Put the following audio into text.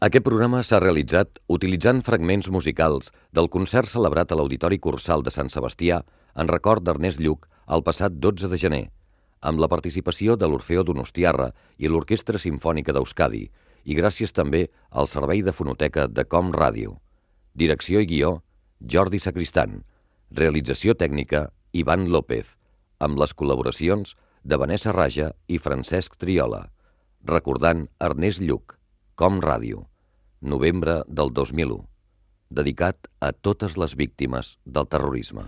Aquest programa s'ha realitzat utilitzant fragments musicals del concert celebrat a l'Auditori Cursal de Sant Sebastià en record d'Ernest Lluch el passat 12 de gener, amb la participació de l'Orfeó Donostiarra i l'Orquestra Simfònica d'Euskadi, i gràcies també al Servei de Fonoteca de Com Ràdio. Direcció i guió, Jordi Sacristan. Realització tècnica, Ivan López, amb les col·laboracions de Vanessa Raja i Francesc Triola. Recordant Ernest Lluch, Com Ràdio, novembre del 2001, dedicat a totes les víctimes del terrorisme.